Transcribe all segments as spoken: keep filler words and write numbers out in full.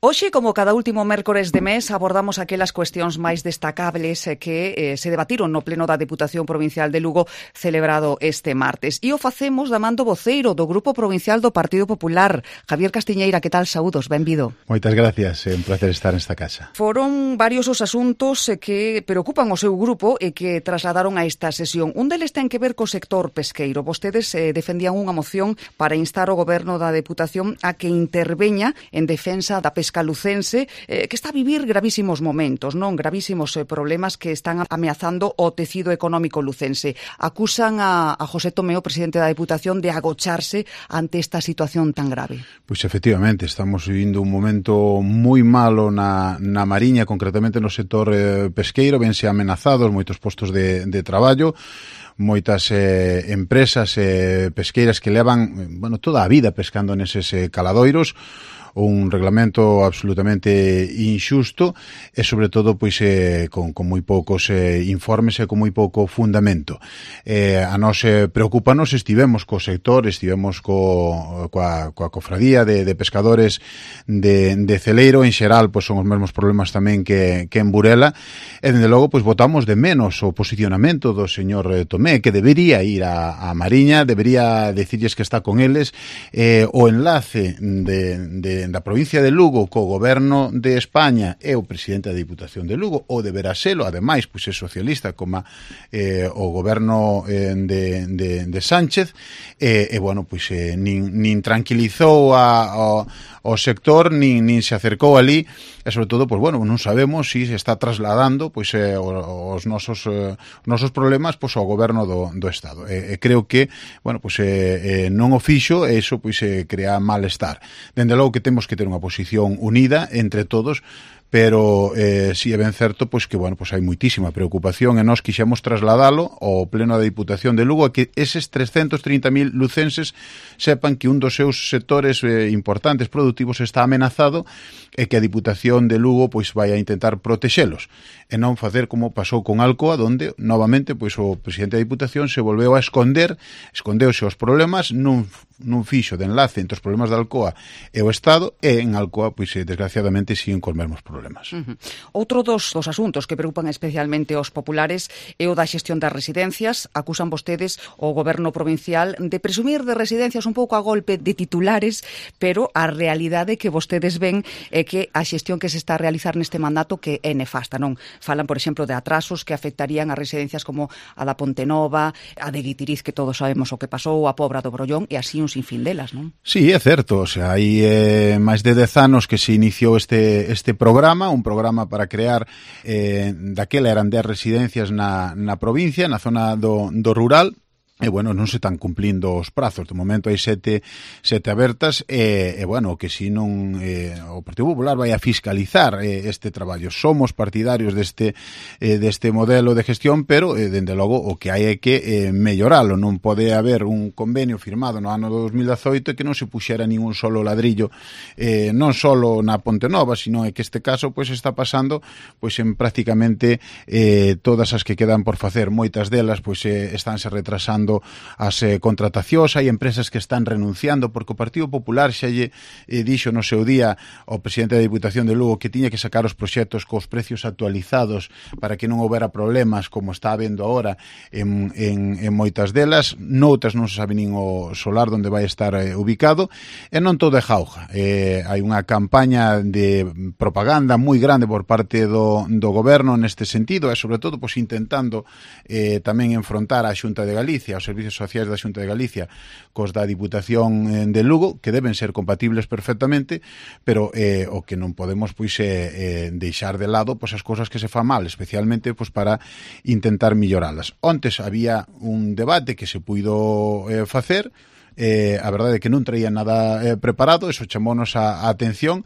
Hoxe, como cada último mércores de mes, abordamos aquelas cuestións máis destacables que eh, se debatiron no Pleno da Deputación Provincial de Lugo celebrado este martes. E o facemos da man do voceiro do Grupo Provincial do Partido Popular, Javier Castiñeira. Que tal? Saúdos, benvido. Moitas gracias, é un placer estar nesta casa. Foron varios os asuntos que preocupan o seu grupo e que trasladaron a esta sesión. Un deles ten que ver co sector pesqueiro. Vostedes eh, defendían unha moción para instar o Goberno da Deputación a que interveña en defensa da pesca lucense, eh, que está a vivir gravísimos momentos, non gravísimos eh, problemas que están ameazando o tecido económico lucense. Acusan a, a José Tomeo, presidente da Deputación, de agocharse ante esta situación tan grave. Pois efectivamente, estamos vivindo un momento moi malo na, na Mariña, concretamente no sector eh, pesqueiro, vense amenazados moitos postos de, de traballo, moitas eh, empresas eh, pesqueiras que levan, bueno, toda a vida pescando neses eh, caladoiros, un reglamento absolutamente injusto e, sobre todo, pois eh, con, con moi poucos eh, informes e con moi pouco fundamento. Eh, a nos eh, preocupanos, estivemos co sector, estivemos co, coa, coa cofradía de, de pescadores de, de Celeiro, en xeral, pois son os mesmos problemas tamén que, que en Burela, e, dende logo, pois votamos de menos o posicionamento do señor eh, Tomé, que debería ir a, a Mariña, debería decirles que está con eles, eh, o enlace de, de da provincia de Lugo co goberno de España e o presidente da Diputación de Lugo, ou deberá selo, ademais, pois é socialista como eh, o goberno eh, de, de, de Sánchez, e, eh, bueno, pois eh, nin, nin tranquilizou a, a, o sector, nin, nin se acercou ali, e sobre todo, pois bueno, non sabemos se si se está trasladando pois eh, os nosos eh, nosos problemas pois ao goberno do, do Estado. E, e creo que, bueno, pois eh, eh, non o fixo, e iso pois eh, crea malestar. Dende logo que temos que ter unha posición unida entre todos, pero eh, si é ben certo pois que, bueno, pois hai moitísima preocupación, e nós quixemos trasladalo ao Pleno da Diputación de Lugo, a que eses trescentos trinta mil lucenses sepan que un dos seus sectores eh, importantes produtivos está amenazado, e que a Diputación de Lugo pois vai a intentar protexelos, e non facer como pasou con Alcoa, donde novamente pois o presidente da Diputación se volveu a esconder, escondeuse os problemas, non nun fixo de enlace entre os problemas da Alcoa e o Estado, e en Alcoa, pois, desgraciadamente, siguen cos mesmos problemas. Uh-huh. Outro dos, dos asuntos que preocupan especialmente aos populares é o da xestión das residencias. Acusan vostedes o goberno provincial de presumir de residencias un pouco a golpe de titulares, pero a realidade que vostedes ven é que a xestión que se está a realizar neste mandato que é nefasta, non? Falan, por exemplo, de atrasos que afectarían a residencias como a da Pontenova, a de Guitiriz, que todos sabemos o que pasou, a Pobra do Brollón, e así un sinfín delas, non? Sí, é certo, o sea, hai eh, máis de dez anos que se iniciou este este programa, un programa para crear eh, daquela eran dez residencias na, na provincia, na zona do, do rural. E, bueno, non se están cumplindo os prazos. De momento hai sete, sete abertas e, e bueno, que si non eh, o Partido Popular vai a fiscalizar eh, este traballo. Somos partidarios deste, eh, deste modelo de gestión, pero, eh, dende logo, o que hai é que eh, melloralo. Non pode haber un convenio firmado no ano dos mil dezoito que non se puxera ningún solo ladrillo, eh, non solo na Ponte Nova, sino é que este caso pois está pasando pois en prácticamente eh, todas as que quedan por facer. Moitas delas pois eh, estánse retrasando as eh, contratacións, hai empresas que están renunciando, porque o Partido Popular xa lle eh, dixo no seu día ao presidente da Diputación de Lugo que tiña que sacar os proxectos cos precios actualizados para que non houbera problemas como está habendo ahora en, en, en moitas delas. Noutras non se sabe nin o solar onde vai estar eh, ubicado, e non todo é jauja. Eh, hai unha campaña de propaganda moi grande por parte do, do goberno neste sentido, e sobre todo pois, intentando eh, tamén enfrontar a Xunta de Galicia, aos servicios sociais da Xunta de Galicia cos da Diputación de Lugo, que deben ser compatibles perfectamente, pero eh, o que non podemos pois eh, eh, deixar de lado pois as cousas que se fan mal, especialmente pois para intentar melloralas. Ontes había un debate que se puido eh, facer, eh, a verdade é que non traía nada eh, preparado, eso chamounos a, a atención,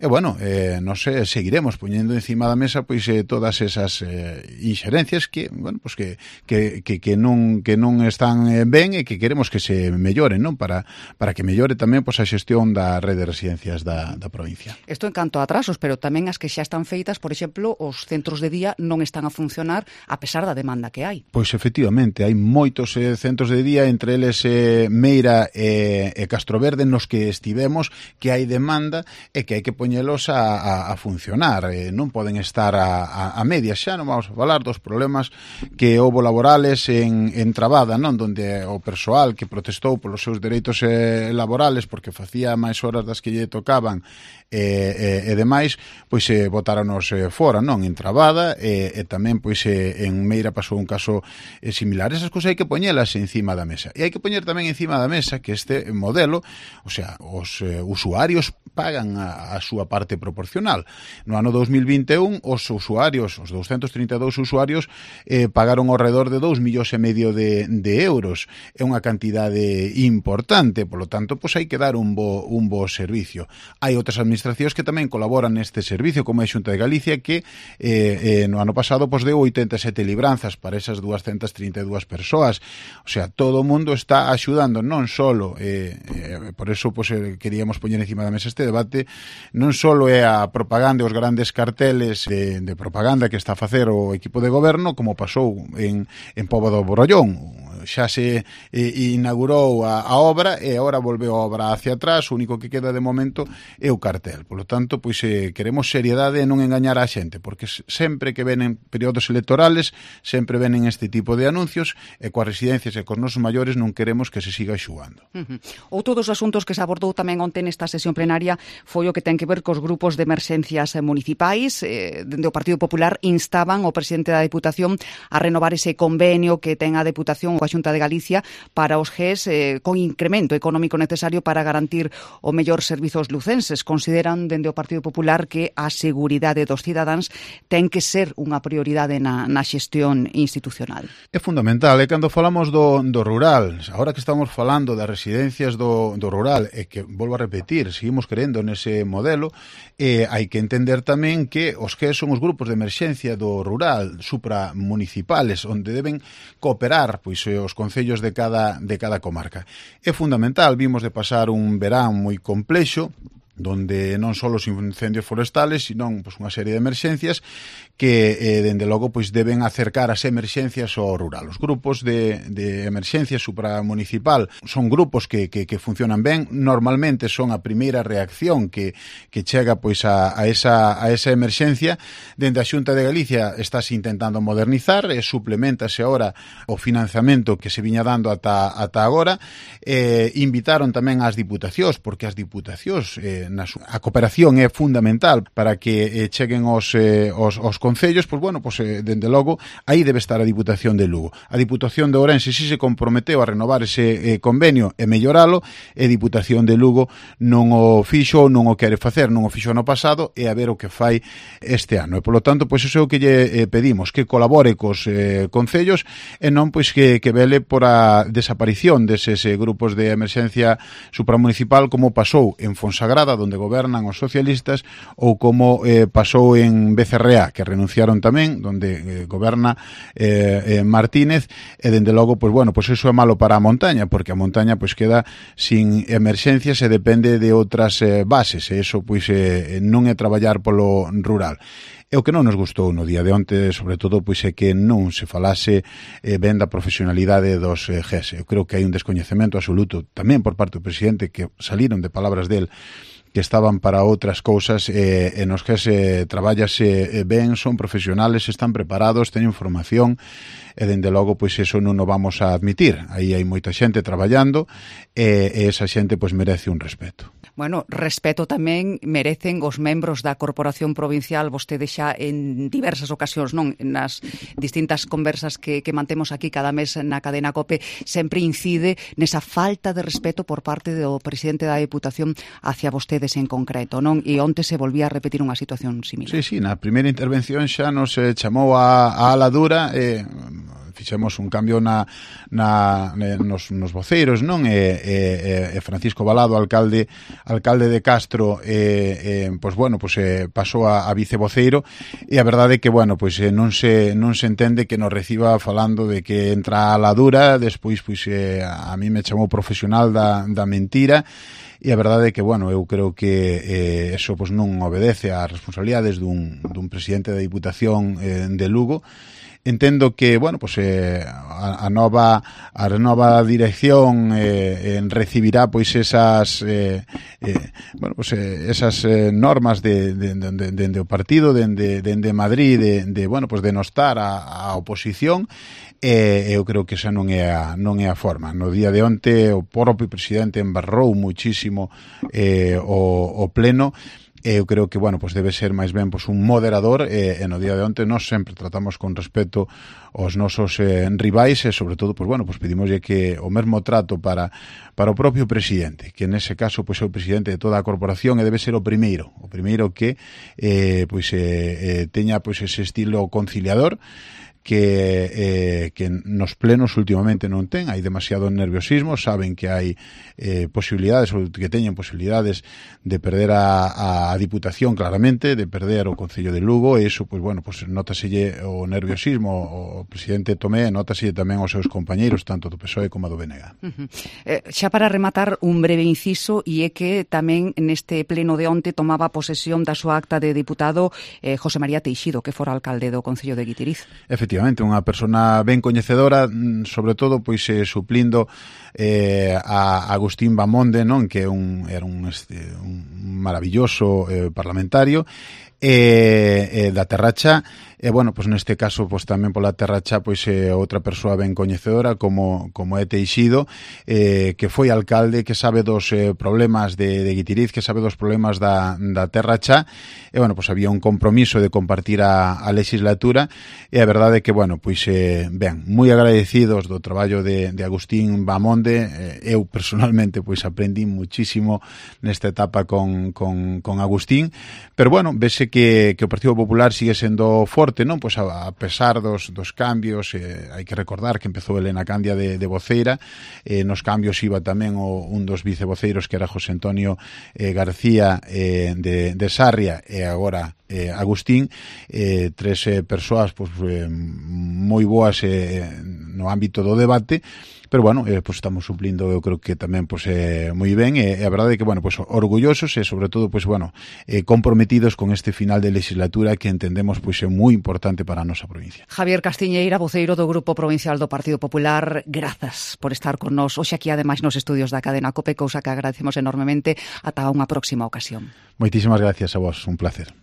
e bueno, eh, nos eh, seguiremos poñendo encima da mesa pois eh, todas esas eh, inxerencias que, bueno, pois que, que, que, que non que non están eh, ben e que queremos que se melloren, non? Para, para que mellore tamén pois a xestión da rede de residencias da, da provincia. Isto en canto a atrasos, pero tamén as que xa están feitas, por exemplo, os centros de día non están a funcionar a pesar da demanda que hai. Pois efectivamente, hai moitos eh, centros de día, entre eles eh, Meira María e, e Castroverde nos que estivemos, que hai demanda e que hai que poñelos a, a, a funcionar. Eh, non poden estar a, a, a medias. Xa non vamos a falar dos problemas que houbo laborales en, en Trabada, non, donde o persoal que protestou polos seus dereitos eh, laborales porque facía máis horas das que lle tocaban e, e, e demais, pois eh, botáronos eh, fora, non, en Trabada e, e tamén pois eh, en Meira pasou un caso eh, similar. Esas cousas hai que poñelas encima da mesa. E hai que poñer tamén encima da mesa que este modelo, o sea, os eh, usuarios pagan a, a súa parte proporcional. No ano dos mil vinte e un, os usuarios, os douscentos trinta e dous usuarios, eh, pagaron ao redor de dous millóns e medio de, de euros. É unha cantidade importante, polo tanto, pois hai que dar un bo, un bo servicio. Hai outras administracións que tamén colaboran neste servicio, como a Xunta de Galicia, que eh, eh, no ano pasado pois deu oitenta e sete libranzas para esas doscientas trinta e dúas persoas. O sea, todo o mundo está axudando, non solo, eh, eh, por eso pues, eh, queríamos poñer encima da mesa este debate, non solo é a propaganda e os grandes carteles de, de propaganda que está a facer o equipo de goberno, como pasou en, en Pobo do Borollón. Xa se eh, inaugurou a, a obra e agora volveu a obra hacia atrás, o único que queda de momento é o cartel. Por lo tanto, pois eh, queremos seriedade e non engañar a xente, porque sempre que venen períodos electorales, sempre venen este tipo de anuncios e coas residencias e cos nosos maiores non queremos que se siga xugando. Uh-huh. Outro dos asuntos que se abordou tamén onte nesta sesión plenaria foi o que ten que ver cos grupos de emerxencias municipais. Eh, dende o Partido Popular instaban o presidente da Deputación a renovar ese convenio que ten a Deputación coa Xunta de Galicia para os G E S eh, con incremento económico necesario para garantir o mellor servizos lucenses. Consideran dende o Partido Popular que a seguridade dos cidadáns ten que ser unha prioridade na, na xestión institucional. É fundamental, é cando falamos do, do rural, agora que estamos falando das residencias do, do rural, e que, volvo a repetir, seguimos creendo nese modelo, eh, hai que entender tamén que os que son os grupos de emerxencia do rural supramunicipales, onde deben cooperar pois os concellos de cada, de cada comarca. É fundamental, vimos de pasar un verán moi complexo, donde non só os incendios forestales, sino pois, unha serie de emerxencias que, eh, dende logo, pois, deben acercar as emerxencias ao rural. Os grupos de, de emerxencia supramunicipal son grupos que, que, que funcionan ben, normalmente son a primeira reacción que, que chega pois, a, a, esa, a esa emerxencia. Dende a Xunta de Galicia estás intentando modernizar, e suplementase agora o financiamento que se viña dando ata, ata agora. Eh, invitaron tamén ás diputacións, porque as diputacións eh, na su... a cooperación é fundamental para que eh, cheguen os, eh, os, os concellos, pois bueno, pois, eh, dende logo, aí debe estar a Diputación de Lugo. A Diputación de Ourense si se comprometeu a renovar ese eh, convenio e melloralo, e a Diputación de Lugo non o fixo, non o quere facer, non o fixo no pasado, e a ver o que fai este ano. E, polo tanto, pois iso é o que lle eh, pedimos, que colabore cos eh, concellos e non pois que, que vele por a desaparición deses eh, grupos de emerxencia supramunicipal, como pasou en Fonsagrada, donde gobernan os socialistas, ou como eh, pasou en B C R A, que renunciaron tamén, donde eh, goberna eh, eh, Martínez, e dende logo, pois bueno, pois iso é malo para a montaña, porque a montaña pois queda sin emerxencias e depende de outras eh, bases, e iso pois eh, non é traballar polo rural. E o que non nos gustou no día de onte, sobre todo, pois é que non se falase eh, ben da profesionalidade dos eh, G E S. Eu creo que hai un descoñecemento absoluto tamén por parte do presidente, que saliron de palabras del que estaban para outras cousas, eh, e nos que se traballase ben, son profesionales, están preparados, teñen formación, e dende logo pois eso non o vamos a admitir. Aí hai moita xente traballando e, e esa xente pois merece un respeto. Bueno, respeto tamén merecen os membros da Corporación Provincial. Vostede xa en diversas ocasións, non, nas distintas conversas que, que mantemos aquí cada mes na cadena COPE, sempre incide nesa falta de respeto por parte do presidente da Deputación hacia vostedes en concreto, non? E onte se volvía a repetir unha situación similar. Sí, sí, na primeira intervención xa nos eh, chamou a, a ala dura, e eh, fixemos un cambio na, na, nos, nos voceiros, non? E, e, e Francisco Balado, alcalde alcalde de Castro, e, e, pois bueno, pois eh, pasou a, a vicevoceiro, e a verdade é que, bueno, pois eh, non se non se entende que nos reciba falando de que entra a la dura, despois pois eh, a mí me chamou profesional da, da mentira. e a verdade é que, bueno, eu creo que eh, eso pues, non obedece ás responsabilidades dun, dun presidente da Diputación eh, de Lugo. Entendo que, bueno, pues eh, a, a nova a nova dirección eh, en recibirá pois esas eh, eh, bueno, pues eh, esas eh, normas de de, de, de, de, de o partido dende de, de, de Madrid de, de bueno, pues de nostar a, a oposición. E eu creo que esa non é a, non é a forma. No día de onte o propio presidente embarrou muchísimo eh, o, o pleno. Eu creo que, bueno, pues debe ser máis ben pues, un moderador e, e no día de onte nós sempre tratamos con respeto aos nosos eh, rivais e, sobre todo, pues, bueno, pues pedimoslle que o mesmo trato para para o propio presidente, que nese caso pues, é o presidente de toda a corporación e debe ser o primeiro, o primeiro que eh, pues, eh, eh, teña pues, ese estilo conciliador que eh, que nos plenos últimamente non ten, hai demasiado nerviosismo, saben que hai eh, posibilidades, ou que teñen posibilidades de perder a, a Diputación claramente, de perder o Concello de Lugo, e iso, pois, bueno, pois, nótaselle o nerviosismo, o presidente Tomé, nótaselle tamén aos seus compañeiros, tanto do P S O E como do B N G. Uh-huh. eh, xa para rematar, un breve inciso, e é que tamén neste pleno de onte tomaba posesión da súa acta de diputado eh, José María Teixido, que fora alcalde do Concello de Guitiriz. Efectivamente, unha persona ben coñecedora, sobre todo pois eh, suplindo eh, a Agustín Bamonde, non, que un, era un, este, un maravilloso eh, parlamentario eh, eh, da Terracha. E, bueno, pois neste caso, pois tamén pola Terracha, pois é outra persoa ben coñecedora como como é Teixido, eh, que foi alcalde, que sabe dos eh, problemas de, de Guitiriz, que sabe dos problemas da, da Terracha, e, bueno, pois había un compromiso de compartir a, a legislatura, e a verdade é que, bueno, pois, eh, ben, moi agradecidos do traballo de, de Agustín Bamonde, eh, eu personalmente, pois, aprendí muchísimo nesta etapa con, con, con Agustín, pero, bueno, vese que, que o Partido Popular sigue sendo forte, non? Pois a, a pesar dos, dos cambios, eh, hai que recordar que empezou Elena Candia de, de voceira, eh, nos cambios iba tamén o, un dos vicevoceiros que era José Antonio eh, García eh, de, de Sarria, e agora eh, Agustín, eh, tres eh, persoas pois, eh, moi boas eh, no ámbito do debate. Pero, bueno, eh, pues estamos suplindo, eu creo que tamén pues, eh, moi ben, e eh, a verdade é que, bueno, pues, orgullosos e, sobre todo, pues, bueno, eh, comprometidos con este final de legislatura que entendemos pues, é moi importante para a nosa provincia. Javier Castiñeira, voceiro do Grupo Provincial do Partido Popular, grazas por estar con nós hoxe aquí, ademais, nos estudios da cadena COPE, cousa que agradecemos enormemente. Ata unha próxima ocasión. Moitísimas gracias a vos, un placer.